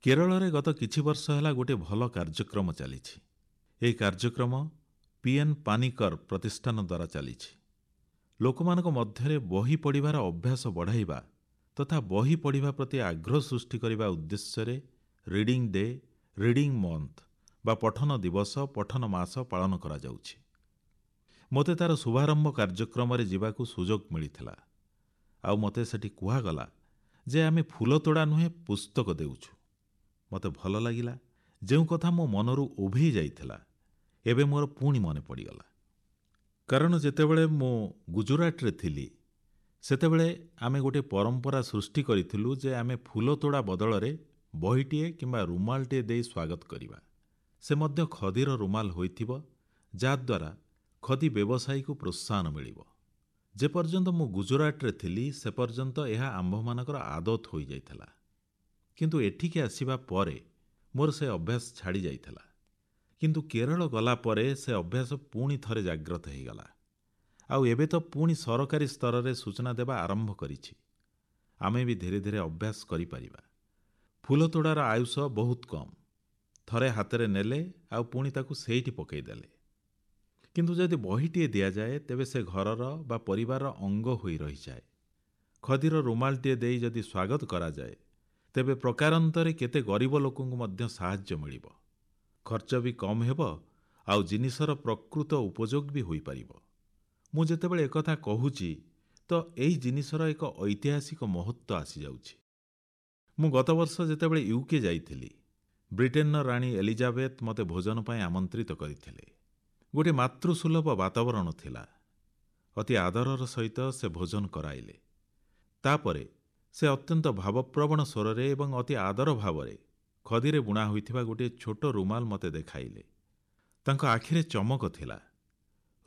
କେରଳରେ ଗତ କିଛି ବର୍ଷ ହେଲା ଗୋଟିଏ ଭଲ କାର୍ଯ୍ୟକ୍ରମ ଚାଲିଛି। ଏହି କାର୍ଯ୍ୟକ୍ରମ ପିଏନ୍ ପାନିକର ପ୍ରତିଷ୍ଠାନ ଦ୍ୱାରା ଚାଲିଛି। ଲୋକମାନଙ୍କ ମଧ୍ୟରେ ବହି ପଢ଼ିବାର ଅଭ୍ୟାସ ବଢ଼ାଇବା ତଥା ବହି ପଢ଼ିବା ପ୍ରତି ଆଗ୍ରହ ସୃଷ୍ଟି କରିବା ଉଦ୍ଦେଶ୍ୟରେ ରିଡିଂ ଡେ, ରିଡିଂ ମନ୍ଥ ବା ପଠନ ଦିବସ, ପଠନ ମାସ ପାଳନ କରାଯାଉଛି। ମୋତେ ତାର ଶୁଭାରମ୍ଭ କାର୍ଯ୍ୟକ୍ରମରେ ଯିବାକୁ ସୁଯୋଗ ମିଳିଥିଲା ଆଉ ମୋତେ ସେଠି କୁହାଗଲା ଯେ ଆମେ ଫୁଲ ତୋଡ଼ା ନୁହେଁ, ପୁସ୍ତକ ଦେଉଛୁ। ମୋତେ ଭଲ ଲାଗିଲା। ଯେଉଁ କଥା ମୋ ମନରୁ ଉଭେଇ ଯାଇଥିଲା, ଏବେ ମୋର ପୁଣି ମନେ ପଡ଼ିଗଲା। କାରଣ ଯେତେବେଳେ ମୁଁ ଗୁଜୁରାଟରେ ଥିଲି, ସେତେବେଳେ ଆମେ ଗୋଟିଏ ପରମ୍ପରା ସୃଷ୍ଟି କରିଥିଲୁ ଯେ ଆମେ ଫୁଲ ତୋଡ଼ା ବଦଳରେ ବହିଟିଏ କିମ୍ବା ରୁମାଲଟିଏ ଦେଇ ସ୍ୱାଗତ କରିବା। ସେ ମଧ୍ୟ ଖଦିର ରୁମାଲ ହୋଇଥିବ, ଯାହାଦ୍ୱାରା ଖଦି ବ୍ୟବସାୟୀକୁ ପ୍ରୋତ୍ସାହନ ମିଳିବ। ଯେପର୍ଯ୍ୟନ୍ତ ମୁଁ ଗୁଜୁରାଟରେ ଥିଲି, ସେ ପର୍ଯ୍ୟନ୍ତ ଏହା ଆମ୍ଭମାନଙ୍କର ଆଦତ ହୋଇଯାଇଥିଲା। କିନ୍ତୁ ଏଠିକି ଆସିବା ପରେ ମୋର ସେ ଅଭ୍ୟାସ ଛାଡ଼ି ଯାଇଥିଲା। କିନ୍ତୁ କେରଳ ଗଲା ପରେ ସେ ଅଭ୍ୟାସ ପୁଣି ଥରେ ଜାଗ୍ରତ ହୋଇଗଲା। ଆଉ ଏବେ ତ ପୁଣି ସରକାରୀ ସ୍ତରରେ ସୂଚନା ଦେବା ଆରମ୍ଭ କରିଛି। ଆମେ ବି ଧୀରେ ଧୀରେ ଅଭ୍ୟାସ କରିପାରିବା। ଫୁଲତୋଡ଼ାର ଆୟୁଷ ବହୁତ କମ୍। ଥରେ ହାତରେ ନେଲେ ଆଉ ପୁଣି ତାକୁ ସେଇଠି ପକାଇଦେଲେ। କିନ୍ତୁ ଯଦି ବହିଟିଏ ଦିଆଯାଏ ତେବେ ସେ ଘରର ବା ପରିବାରର ଅଙ୍ଗ ହୋଇ ରହିଯାଏ। ଖଦିର ରୁମାଲଟିଏ ଦେଇ ଯଦି ସ୍ୱାଗତ କରାଯାଏ ତେବେ ପ୍ରକାରାନ୍ତରେ କେତେ ଗରିବ ଲୋକଙ୍କୁ ମଧ୍ୟ ସାହାଯ୍ୟ ମିଳିବ। ଖର୍ଚ୍ଚ ବି କମ୍ ହେବ ଆଉ ଜିନିଷର ପ୍ରକୃତ ଉପଯୋଗ ବି ହୋଇପାରିବ। ମୁଁ ଯେତେବେଳେ ଏକଥା କହୁଛି ତ ଏହି ଜିନିଷର ଏକ ଐତିହାସିକ ମହତ୍ତ୍ୱ ଆସିଯାଉଛି। ମୁଁ ଗତବର୍ଷ ଯେତେବେଳେ ୟୁକେ ଯାଇଥିଲି, ବ୍ରିଟେନର ରାଣୀ ଏଲିଜାବେଥ ମୋତେ ଭୋଜନ ପାଇଁ ଆମନ୍ତ୍ରିତ କରିଥିଲେ। ଗୋଟିଏ ମାତୃସୁଲଭ ବାତାବରଣ ଥିଲା। ଅତି ଆଦରର ସହିତ ସେ ଭୋଜନ କରାଇଲେ। ତାପରେ ସେ ଅତ୍ୟନ୍ତ ଭାବପ୍ରବଣ ସ୍ୱରରେ ଏବଂ ଅତି ଆଦର ଭାବରେ ଖଦିରେ ବୁଣା ହୋଇଥିବା ଗୋଟିଏ ଛୋଟ ରୁମାଲ ମୋତେ ଦେଖାଇଲେ। ତାଙ୍କ ଆଖିରେ ଚମକ ଥିଲା।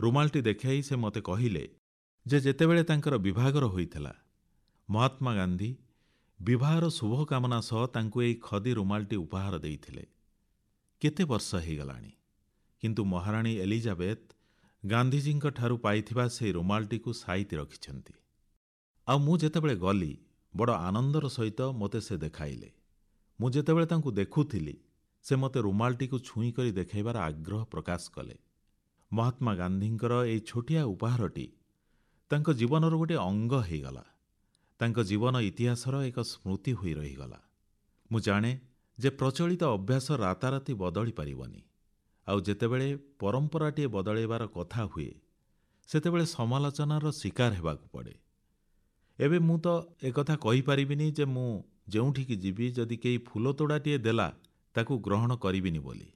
ରୁମାଲଟି ଦେଖାଇ ସେ ମୋତେ କହିଲେ ଯେ ଯେତେବେଳେ ତାଙ୍କର ବିବାହଘର ହୋଇଥିଲା, ମହାତ୍ମା ଗାନ୍ଧୀ ବିବାହର ଶୁଭକାମନା ସହ ତାଙ୍କୁ ଏହି ଖଦି ରୁମାଲଟି ଉପହାର ଦେଇଥିଲେ। କେତେ ବର୍ଷ ହେଇଗଲାଣି, କିନ୍ତୁ ମହାରାଣୀ ଏଲିଜାବେଥ ଗାନ୍ଧିଜୀଙ୍କ ଠାରୁ ପାଇଥିବା ସେହି ରୁମାଲଟିକୁ ସାଇତି ରଖିଛନ୍ତି। ଆଉ ମୁଁ ଯେତେବେଳେ ଗଲି, ବଡ଼ ଆନନ୍ଦର ସହିତ ମୋତେ ସେ ଦେଖାଇଲେ। ମୁଁ ଯେତେବେଳେ ତାଙ୍କୁ ଦେଖୁଥିଲି, ସେ ମୋତେ ରୁମାଲଟିକୁ ଛୁଇଁ କରି ଦେଖାଇବାର ଆଗ୍ରହ ପ୍ରକାଶ କଲେ। ମହାତ୍ମା ଗାନ୍ଧୀଙ୍କର ଏହି ଛୋଟିଆ ଉପହାରଟି ତାଙ୍କ ଜୀବନର ଗୋଟିଏ ଅଙ୍ଗ ହେଇଗଲା। ତାଙ୍କ ଜୀବନ ଇତିହାସର ଏକ ସ୍ମୃତି ହୋଇ ରହିଗଲା। ମୁଁ ଜାଣେ ଯେ ପ୍ରଚଳିତ ଅଭ୍ୟାସ ରାତାରାତି ବଦଳି ପାରିବନି। ଆଉ ଯେତେବେଳେ ପରମ୍ପରାଟିଏ ବଦଳାଇବାର କଥା ହୁଏ, ସେତେବେଳେ ସମାଲୋଚନାର ଶିକାର ହେବାକୁ ପଡ଼େ। ଏବେ ମୁଁ ତ ଏକଥା କହିପାରିବିନି ଯେ ମୁଁ ଯେଉଁଠିକି ଯିବି ଯଦି କେହି ଫୁଲତୋଡ଼ାଟିଏ ଦେଲା ତାକୁ ଗ୍ରହଣ କରିବିନି ବୋଲି।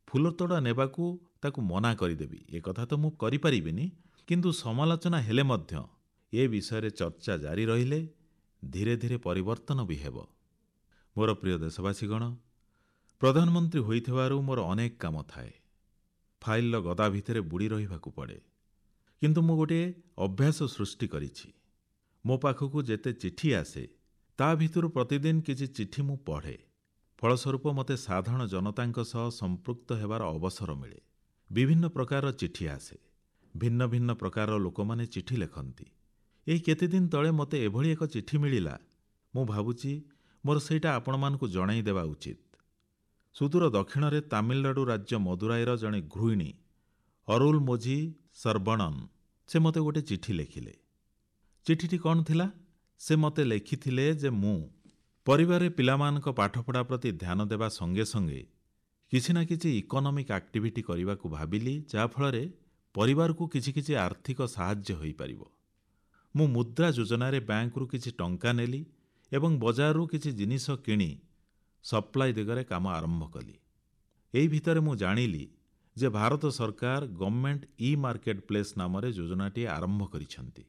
ଫୁଲତୋଡ଼ା ନେବାକୁ ତାକୁ ମନା କରିଦେବି, ଏକଥା ତ ମୁଁ କରିପାରିବିନି। କିନ୍ତୁ ସମାଲୋଚନା ହେଲେ ମଧ୍ୟ ଏ ବିଷୟରେ ଚର୍ଚ୍ଚା ଜାରି ରହିଲେ ଧୀରେ ଧୀରେ ପରିବର୍ତ୍ତନ ବି ହେବ। ମୋର ପ୍ରିୟ ଦେଶବାସୀଗଣ, ପ୍ରଧାନମନ୍ତ୍ରୀ ହୋଇଥିବାରୁ ମୋର ଅନେକ କାମ ଥାଏ। ଫାଇଲର ଗଦା ଭିତରେ ବୁଡ଼ି ରହିବାକୁ ପଡ଼େ। କିନ୍ତୁ ମୁଁ ଗୋଟିଏ ଅଭ୍ୟାସ ସୃଷ୍ଟି କରିଛି। ମୋ ପାଖକୁ ଯେତେ ଚିଠି ଆସେ ତା ଭିତରୁ ପ୍ରତିଦିନ କିଛି ଚିଠି ମୁଁ ପଢ଼େ। ଫଳସ୍ୱରୂପ ମୋତେ ସାଧାରଣ ଜନତାଙ୍କ ସହ ସମ୍ପୃକ୍ତ ହେବାର ଅବସର ମିଳେ। ବିଭିନ୍ନ ପ୍ରକାରର ଚିଠି ଆସେ। ଭିନ୍ନ ଭିନ୍ନ ପ୍ରକାରର ଲୋକମାନେ ଚିଠି ଲେଖନ୍ତି। ଏହି କେତେଦିନ ତଳେ ମୋତେ ଏଭଳି ଏକ ଚିଠି ମିଳିଲା, ମୁଁ ଭାବୁଛି ମୋର ସେଇଟା ଆପଣମାନଙ୍କୁ ଜଣାଇ ଦେବା ଉଚିତ। ସୁଦୂର ଦକ୍ଷିଣରେ ତାମିଲନାଡୁ ରାଜ୍ୟ ମଦୁରାଇର ଜଣେ ଗୃହିଣୀ ଅରୁଲମୋଝି ସରବଣନ, ସେ ମୋତେ ଗୋଟେ ଚିଠି ଲେଖିଲେ। ଚିଠିଟି କ'ଣ ଥିଲା? ସେ ମୋତେ ଲେଖିଥିଲେ ଯେ ମୁଁ ପରିବାରରେ ପିଲାମାନଙ୍କ ପାଠପଢ଼ା ପ୍ରତି ଧ୍ୟାନ ଦେବା ସଙ୍ଗେ ସଙ୍ଗେ କିଛି ନା କିଛି ଇକୋନୋମିକ୍ ଆକ୍ଟିଭିଟି କରିବାକୁ ଭାବିଲି, ଯାହାଫଳରେ ପରିବାରକୁ କିଛି କିଛି ଆର୍ଥିକ ସାହାଯ୍ୟ ହୋଇପାରିବ। ମୁଁ ମୁଦ୍ରା ଯୋଜନାରେ ବ୍ୟାଙ୍କରୁ କିଛି ଟଙ୍କା ନେଲି ଏବଂ ବଜାରରୁ କିଛି ଜିନିଷ କିଣି ସପ୍ଲାଇ ଦିଗରେ କାମ ଆରମ୍ଭ କଲି। ଏହି ଭିତରେ ମୁଁ ଜାଣିଲି ଯେ ଭାରତ ସରକାର ଗଭର୍ଣ୍ଣମେଣ୍ଟ ଇ-ମାର୍କେଟ ପ୍ଲେସ୍ ନାମରେ ଯୋଜନାଟିଏ ଆରମ୍ଭ କରିଛନ୍ତି।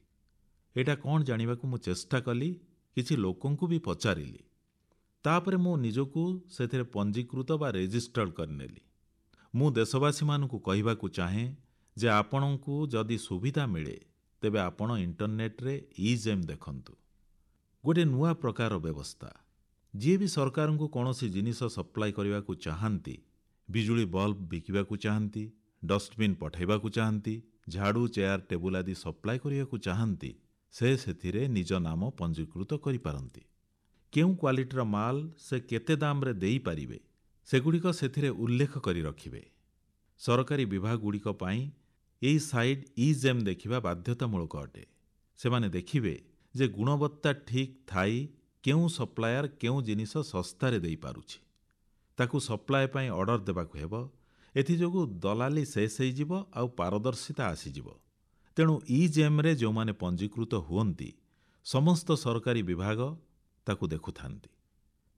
ଏଇଟା କ'ଣ ଜାଣିବାକୁ ମୁଁ ଚେଷ୍ଟା କଲି, କିଛି ଲୋକଙ୍କୁ ବି ପଚାରିଲି। ତାପରେ ମୁଁ ନିଜକୁ ସେଥିରେ ପଞ୍ଜୀକୃତ ବା ରେଜିଷ୍ଟର୍ଡ କରିନେଲି। ମୁଁ ଦେଶବାସୀମାନଙ୍କୁ କହିବାକୁ ଚାହେଁ ଯେ ଆପଣଙ୍କୁ ଯଦି ସୁବିଧା ମିଳେ ତେବେ ଆପଣ ଇଣ୍ଟରନେଟ୍ରେ ଇ-ଜେମ୍ ଦେଖନ୍ତୁ। ଗୋଟିଏ ନୂଆ ପ୍ରକାର ବ୍ୟବସ୍ଥା। ଯିଏ ବି ସରକାରଙ୍କୁ କୌଣସି ଜିନିଷ ସପ୍ଲାଇ କରିବାକୁ ଚାହାନ୍ତି, ବିଜୁଳି ବଲ୍ବ ବିକିବାକୁ ଚାହାନ୍ତି, ଡଷ୍ଟବିନ୍ ପଠାଇବାକୁ ଚାହାନ୍ତି, ଝାଡ଼ୁ, ଚେୟାର, ଟେବୁଲ ଆଦି ସପ୍ଲାଇ କରିବାକୁ ଚାହାନ୍ତି, ସେ ସେଥିରେ ନିଜ ନାମ ପଞ୍ଜୀକୃତ କରିପାରନ୍ତି। କେଉଁ କ୍ୱାଲିଟିର ମାଲ ସେ କେତେ ଦାମରେ ଦେଇପାରିବେ, ସେଗୁଡ଼ିକ ସେଥିରେ ଉଲ୍ଲେଖ କରି ରଖିବେ। ସରକାରୀ ବିଭାଗଗୁଡ଼ିକ ପାଇଁ ଏହି ସାଇଟ୍ ଇ-ଜେମ୍ ଦେଖିବା ବାଧ୍ୟତାମୂଳକ ଅଟେ। ସେମାନେ ଦେଖିବେ ଯେ ଗୁଣବତ୍ତା ଠିକ୍ ଥାଇ କେଉଁ ସପ୍ଲାୟର କେଉଁ ଜିନିଷ ଶସ୍ତାରେ ଦେଇପାରୁଛି। ତାକୁ ସପ୍ଲାଏ ପାଇଁ ଅର୍ଡର ଦେବାକୁ ହେବ। ଏଥିଯୋଗୁଁ ଦଲାଲି ଶେଷ ହେଇଯିବ ଆଉ ପାରଦର୍ଶିତା ଆସିଯିବ। ତେଣୁ ଇ-ଜେମ୍ରେ ଯେଉଁମାନେ ପଞ୍ଜୀକୃତ ହୁଅନ୍ତି, ସମସ୍ତ ସରକାରୀ ବିଭାଗ ତାକୁ ଦେଖୁଥାନ୍ତି।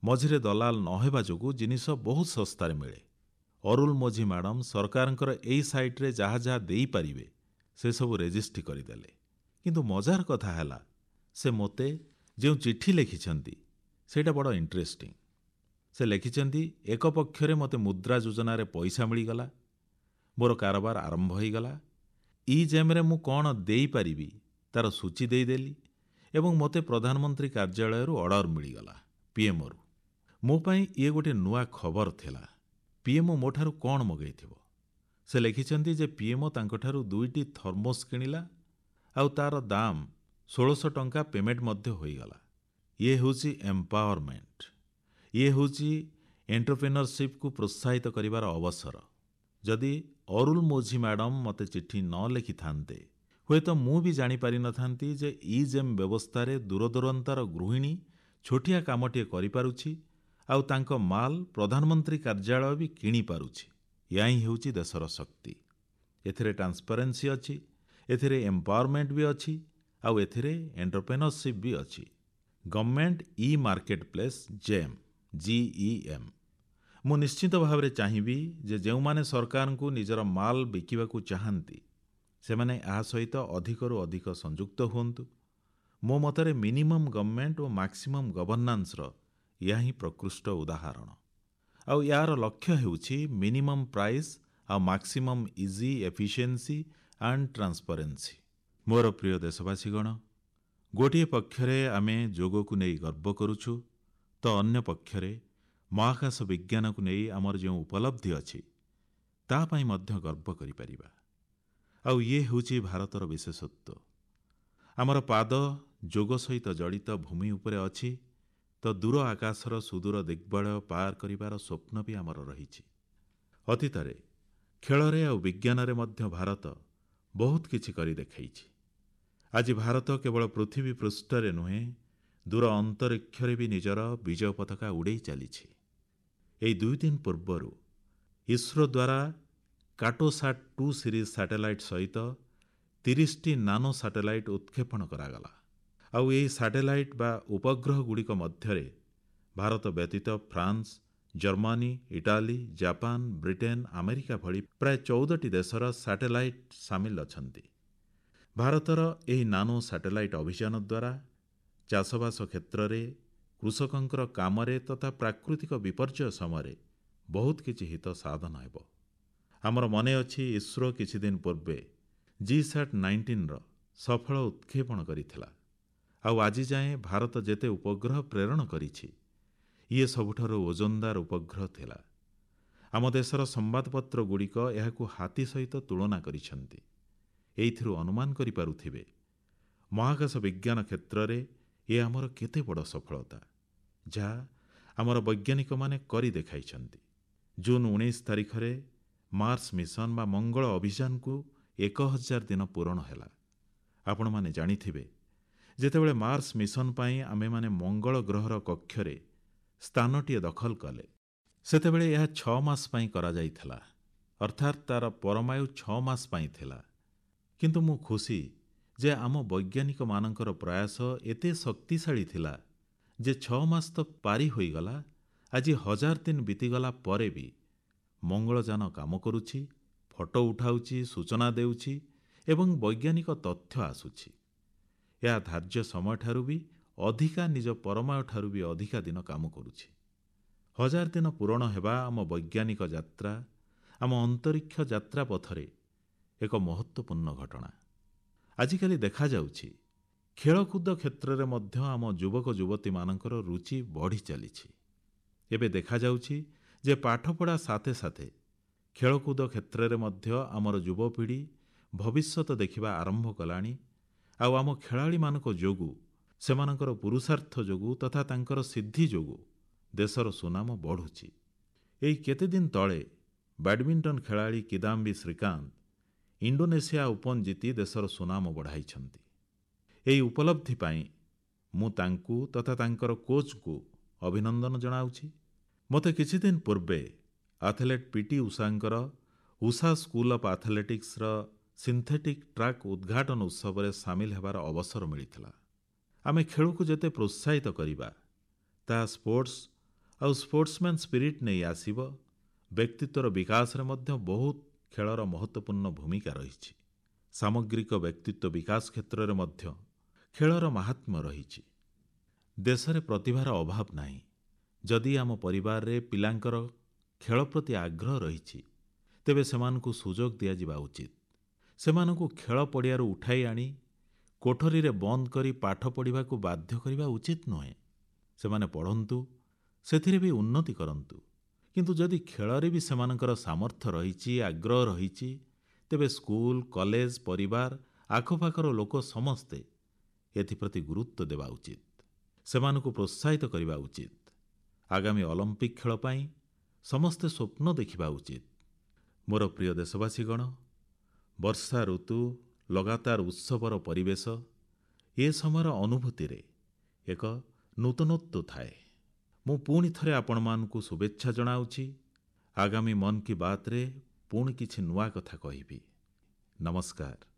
ମଝିରେ ଦଲାଲ ନ ହେବା ଯୋଗୁଁ ଜିନିଷ ବହୁତ ଶସ୍ତାରେ ମିଳେ। ଅରୁଲମୋଝି ମ୍ୟାଡାମ ସରକାରଙ୍କର ଏହି ସାଇଟ୍ରେ ଯାହା ଯାହା ଦେଇପାରିବେ ସେସବୁ ରେଜିଷ୍ଟ୍ରି କରିଦେଲେ। କିନ୍ତୁ ମଜାର କଥା ହେଲା, ସେ ମୋତେ ଯେଉଁ ଚିଠି ଲେଖିଛନ୍ତି ସେଇଟା ବଡ଼ ଇଣ୍ଟରେଷ୍ଟିଂ। ସେ ଲେଖିଛନ୍ତି, ଏକ ପକ୍ଷରେ ମୋତେ ମୁଦ୍ରା ଯୋଜନାରେ ପଇସା ମିଳିଗଲା, ମୋର କାରବାର ଆରମ୍ଭ ହୋଇଗଲା, ଇ-ଜେମ୍ରେ ମୁଁ କ'ଣ ଦେଇପାରିବି ତାର ସୂଚୀ ଦେଇଦେଲି ଏବଂ ମୋତେ ପ୍ରଧାନମନ୍ତ୍ରୀ କାର୍ଯ୍ୟାଳୟରୁ ଅର୍ଡର ମିଳିଗଲା, ପିଏମ୍ଓରୁ। ମୋ ପାଇଁ ଇଏ ଗୋଟିଏ ନୂଆ ଖବର ଥିଲା। ପିଏମ୍ଓ ମୋଠାରୁ କଣ ମଗେଇଥିବ? ସେ ଲେଖିଛନ୍ତି ଯେ ପିଏମ୍ଓ ତାଙ୍କଠାରୁ ଦୁଇଟି ଥର୍ମୋସ୍ କିଣିଲା ଆଉ ତାର ଦାମ ଷୋଳଶହ ଟଙ୍କା ପେମେଣ୍ଟ ମଧ୍ୟ ହୋଇଗଲା। ଇଏ ହେଉଛି ଏମ୍ପାୱାରମେଣ୍ଟ। ଇଏ ହେଉଛି ଏଣ୍ଟରପ୍ରେନରସିପ୍କୁ ପ୍ରୋତ୍ସାହିତ କରିବାର ଅବସର। ଯଦି ଅରୁଲମୋଝି ମ୍ୟାଡାମ ମୋତେ ଚିଠି ନ ଲେଖିଥାନ୍ତେ, ହୁଏତ ମୁଁ ବି ଜାଣିପାରିନଥାନ୍ତି ଯେ ଇ-ଜେମ୍ ବ୍ୟବସ୍ଥାରେ ଦୂରଦୂରାନ୍ତର ଗୃହିଣୀ ଛୋଟିଆ କାମଟିଏ କରିପାରୁଛି ଆଉ ତାଙ୍କ ମାଲ ପ୍ରଧାନମନ୍ତ୍ରୀ କାର୍ଯ୍ୟାଳୟ ବି କିଣିପାରୁଛି। ଏହା ହିଁ ହେଉଛି ଦେଶର ଶକ୍ତି। ଏଥିରେ ଟ୍ରାନ୍ସପାରେନ୍ସି ଅଛି, ଏଥିରେ ଏମ୍ପାୱାରମେଣ୍ଟ ବି ଅଛି ଆଉ ଏଥିରେ ଏଣ୍ଟରପ୍ରେନରସିପ୍ ବି ଅଛି। ଗଭର୍ଣ୍ଣମେଣ୍ଟ ଇ-ମାର୍କେଟ ପ୍ଲେସ୍ ଜେମ୍, ଜିଇଏମ୍। ମୁଁ ନିଶ୍ଚିତ ଭାବରେ ଚାହିଁବି ଯେ ଯେଉଁମାନେ ସରକାରଙ୍କୁ ନିଜର ମାଲ ବିକିବାକୁ ଚାହାନ୍ତି, ସେମାନେ ଏହା ସହିତ ଅଧିକରୁ ଅଧିକ ସଂଯୁକ୍ତ ହୁଅନ୍ତୁ। ମୋ ମତରେ ମିନିମମ୍ ଗଭର୍ଣ୍ଣମେଣ୍ଟ ଓ ମାକ୍ସିମମ୍ ଗଭର୍ଣ୍ଣାନ୍ସର ଏହା ହିଁ ପ୍ରକୃଷ୍ଟ ଉଦାହରଣ। ଆଉ ଏହାର ଲକ୍ଷ୍ୟ ହେଉଛି ମିନିମମ୍ ପ୍ରାଇସ୍ ଆଉ maximum easy, efficiency and transparency. ମୋର ପ୍ରିୟ ଦେଶବାସୀଗଣ, ଗୋଟିଏ ପକ୍ଷରେ ଆମେ ଯୋଗକୁ ନେଇ ଗର୍ବ କରୁଛୁ ତ ଅନ୍ୟ ପକ୍ଷରେ ମହାକାଶ ବିଜ୍ଞାନକୁ ନେଇ ଆମର ଯେଉଁ ଉପଲବ୍ଧି ଅଛି, ତା ପାଇଁ ମଧ୍ୟ ଗର୍ବ କରିପାରିବା। ଆଉ ଇଏ ହେଉଛି ଭାରତର ବିଶେଷତ୍ୱ। ଆମର ପାଦ ଯୋଗ ସହିତ ଜଡ଼ିତ ଭୂମି ଉପରେ ଅଛି ତ ଦୂର ଆକାଶର ସୁଦୂର ଦିଗ୍ବଳୟ ପାର କରିବାର ସ୍ୱପ୍ନ ବି ଆମର ରହିଛି। ଅତୀତରେ ଖେଳରେ ଆଉ ବିଜ୍ଞାନରେ ମଧ୍ୟ ଭାରତ ବହୁତ କିଛି କରି ଦେଖାଇଛି। ଆଜି ଭାରତ କେବଳ ପୃଥିବୀ ପୃଷ୍ଠରେ ନୁହେଁ, ଦୂର ଅନ୍ତରୀକ୍ଷରେ ବି ନିଜର ବିଜୟ ପତାକା ଉଡ଼େଇ ଚାଲିଛି। ଏଇ ଦୁଇ ଦିନ ପୂର୍ବରୁ ଇସ୍ରୋ ଦ୍ୱାରା କାର୍ଟୋସାଟ୍ ଟୁ ସିରିଜ୍ ସାଟେଲାଇଟ୍ ସହିତ ତିରିଶଟି ନାନୋ ସାଟେଲାଇଟ୍ ଉତ୍କ୍ଷେପଣ କରାଗଲା। ଆଉ ଏହି ସାଟେଲାଇଟ୍ ବା ଉପଗ୍ରହଗୁଡ଼ିକ ମଧ୍ୟରେ ଭାରତ ବ୍ୟତୀତ France, Germany, Italy, Japan, Britain, America ଭଳି ପ୍ରାୟ ଚଉଦଟି ଦେଶର ସାଟେଲାଇଟ୍ ସାମିଲ ଅଛନ୍ତି। ଭାରତର ଏହି ନାନୋ ସାଟେଲାଇଟ୍ ଅଭିଯାନ ଦ୍ୱାରା ଚାଷବାସ କ୍ଷେତ୍ରରେ, କୃଷକଙ୍କର କାମରେ ତଥା ପ୍ରାକୃତିକ ବିପର୍ଯ୍ୟୟ ସମୟରେ ବହୁତ କିଛି ହିତ ସାଧନ ହେବ। ଆମର ମନେ ଅଛି, ଇସ୍ରୋ କିଛିଦିନ ପୂର୍ବେ ଜିସାଟ୍ ନାଇଣ୍ଟିନ୍ର ସଫଳ ଉତ୍କ୍ଷେପଣ କରିଥିଲା। ଆଉ ଆଜି ଯାଏଁ ଭାରତ ଯେତେ ଉପଗ୍ରହ ପ୍ରେରଣ କରିଛି, ଇଏ ସବୁଠାରୁ ଓଜନଦାର ଉପଗ୍ରହ ଥିଲା। ଆମ ଦେଶର ସମ୍ବାଦପତ୍ରଗୁଡ଼ିକ ଏହାକୁ ହାତୀ ସହିତ ତୁଳନା କରିଛନ୍ତି। ଏଇଥିରୁ ଅନୁମାନ କରିପାରୁଥିବେ, ମହାକାଶ ବିଜ୍ଞାନ କ୍ଷେତ୍ରରେ ଏ ଆମର କେତେ ବଡ଼ ସଫଳତା, ଯାହା ଆମର ବୈଜ୍ଞାନିକମାନେ କରି ଦେଖାଇଛନ୍ତି। ଜୁନ୍ ଉଣେଇଶ ତାରିଖରେ ମାର୍ସ ମିଶନ ବା ମଙ୍ଗଳ ଅଭିଯାନକୁ ଏକ ହଜାର ଦିନ ପୂରଣ ହେଲା। ଆପଣମାନେ ଜାଣିଥିବେ, ଯେତେବେଳେ ମାର୍ସ ମିଶନ ପାଇଁ ଆମେମାନେ ମଙ୍ଗଳ ଗ୍ରହର କକ୍ଷରେ ସ୍ଥାନଟିଏ ଦଖଲ କଲେ, ସେତେବେଳେ ଏହା ଛଅ ମାସ ପାଇଁ କରାଯାଇଥିଲା, ଅର୍ଥାତ୍ ତାର ପରମାୟୁ ଛଅ ମାସ ପାଇଁ ଥିଲା। କିନ୍ତୁ ମୁଁ ଖୁସି ଯେ ଆମ ବୈଜ୍ଞାନିକମାନଙ୍କର ପ୍ରୟାସ ଏତେ ଶକ୍ତିଶାଳୀ ଥିଲା ଯେ ଛଅ ମାସ ତ ପାରି ହୋଇଗଲା, ଆଜି ହଜାର ଦିନ ବିତିଗଲା ପରେ ବି ମଙ୍ଗଳଯାନ କାମ କରୁଛି, ଫଟୋ ଉଠାଉଛି, ସୂଚନା ଦେଉଛି ଏବଂ ବୈଜ୍ଞାନିକ ତଥ୍ୟ ଆସୁଛି। ଏହା ଧାର୍ଯ୍ୟ ସମୟଠାରୁ ବି ଅଧିକା, ନିଜ ପରମାୟୁଠାରୁ ବି ଅଧିକା ଦିନ କାମ କରୁଛି। ହଜାର ଦିନ ପୂରଣ ହେବା ଆମ ବୈଜ୍ଞାନିକ ଯାତ୍ରା, ଆମ ଅନ୍ତରୀକ୍ଷ ଯାତ୍ରା ପଥରେ ଏକ ମହତ୍ତ୍ୱପୂର୍ଣ୍ଣ ଘଟଣା। ଆଜିକାଲି ଦେଖାଯାଉଛି, ଖେଳକୁଦ କ୍ଷେତ୍ରରେ ମଧ୍ୟ ଆମ ଯୁବକ ଯୁବତୀମାନଙ୍କର ରୁଚି ବଢ଼ି ଚାଲିଛି। ଏବେ ଦେଖାଯାଉଛି ଯେ ପାଠପଢ଼ା ସାଥେ ସାଥେ ଖେଳକୁଦ କ୍ଷେତ୍ରରେ ମଧ୍ୟ ଆମର ଯୁବପିଢ଼ି ଭବିଷ୍ୟତ ଦେଖିବା ଆରମ୍ଭ କଲାଣି। ଆଉ ଆମ ଖେଳାଳିମାନଙ୍କ ଯୋଗୁଁ, ସେମାନଙ୍କର ପୁରୁଷାର୍ଥ ଯୋଗୁଁ ତଥା ତାଙ୍କର ସିଦ୍ଧି ଯୋଗୁଁ ଦେଶର ସୁନାମ ବଢ଼ୁଛି। ଏଇ କେତେଦିନ ତଳେ ବ୍ୟାଡମିଣ୍ଟନ ଖେଳାଳି କିଦାମ୍ବି ଶ୍ରୀକାନ୍ତ ଇଣ୍ଡୋନେସିଆ ଓପନ୍ ଜିତି ଦେଶର ସୁନାମ ବଢ଼ାଇଛନ୍ତି। ଏହି ଉପଲବ୍ଧି ପାଇଁ ମୁଁ ତାଙ୍କୁ ତଥା ତାଙ୍କର କୋଚ୍ଙ୍କୁ ଅଭିନନ୍ଦନ ଜଣାଉଛି। ମୋତେ କିଛିଦିନ ପୂର୍ବେ ଆଥଲେଟ୍ ପିଟି ଉଷାଙ୍କର ଉଷା ସ୍କୁଲ ଅଫ୍ ଆଥଲେଟିକ୍ସର ସିନ୍ଥେଟିକ୍ ଟ୍ରାକ୍ ଉଦ୍ଘାଟନ ଉତ୍ସବରେ ସାମିଲ ହେବାର ଅବସର ମିଳିଥିଲା। ଆମେ ଖେଳକୁ ଯେତେ ପ୍ରୋତ୍ସାହିତ କରିବା, ତାହା ସ୍ପୋର୍ଟସ ଆଉ ସ୍ପୋର୍ଟସମ୍ୟାନ୍ ସ୍ପିରିଟ୍ ନେଇ ଆସିବ। ବ୍ୟକ୍ତିତ୍ୱର ବିକାଶରେ ମଧ୍ୟ ବହୁତ ଖେଳର ମହତ୍ତ୍ୱପୂର୍ଣ୍ଣ ଭୂମିକା ରହିଛି। ସାମଗ୍ରିକ ବ୍ୟକ୍ତିତ୍ୱ ବିକାଶ କ୍ଷେତ୍ରରେ ମଧ୍ୟ ଖେଳର ମାହାତ୍ମ୍ୟ ରହିଛି। ଦେଶରେ ପ୍ରତିଭାର ଅଭାବ ନାହିଁ। ଯଦି ଆମ ପରିବାରରେ ପିଲାଙ୍କର ଖେଳ ପ୍ରତି ଆଗ୍ରହ ରହିଛି, ତେବେ ସେମାନଙ୍କୁ ସୁଯୋଗ ଦିଆଯିବା ଉଚିତ। ସେମାନଙ୍କୁ ଖେଳ ପଡ଼ିଆରୁ ଉଠାଇ ଆଣି କୋଠରୀରେ ବନ୍ଦ କରି ପାଠ ପଢ଼ିବାକୁ ବାଧ୍ୟ କରିବା ଉଚିତ ନୁହେଁ। ସେମାନେ ପଢ଼ନ୍ତୁ, ସେଥିରେ ବି ଉନ୍ନତି କରନ୍ତୁ। କିନ୍ତୁ ଯଦି ଖେଳରେ ବି ସେମାନଙ୍କର ସାମର୍ଥ୍ୟ ରହିଛି, ଆଗ୍ରହ ରହିଛି, ତେବେ ସ୍କୁଲ, କଲେଜ, ପରିବାର, ଆଖପାଖର ଲୋକ ସମସ୍ତେ ଏଥିପ୍ରତି ଗୁରୁତ୍ୱ ଦେବା ଉଚିତ। ସେମାନଙ୍କୁ ପ୍ରୋତ୍ସାହିତ କରିବା ଉଚିତ। ଆଗାମୀ ଅଲିମ୍ପିକ ଖେଳ ପାଇଁ ସମସ୍ତେ ସ୍ୱପ୍ନ ଦେଖିବା ଉଚିତ। ମୋର ପ୍ରିୟ ଦେଶବାସୀଗଣ, ବର୍ଷା ଋତୁ, ଲଗାତାର ଉତ୍ସବର ପରିବେଶ, ଏ ସମୟର ଅନୁଭୂତିରେ ଏକ ନୂତନତ୍ୱ ଥାଏ। ମୁଁ ପୁଣି ଥରେ ଆପଣମାନଙ୍କୁ ଶୁଭେଚ୍ଛା ଜଣାଉଛି। ଆଗାମୀ ମନ୍ କି ବାତ୍ରେ ପୁଣି କିଛି ନୂଆ କଥା କହିବି। ନମସ୍କାର।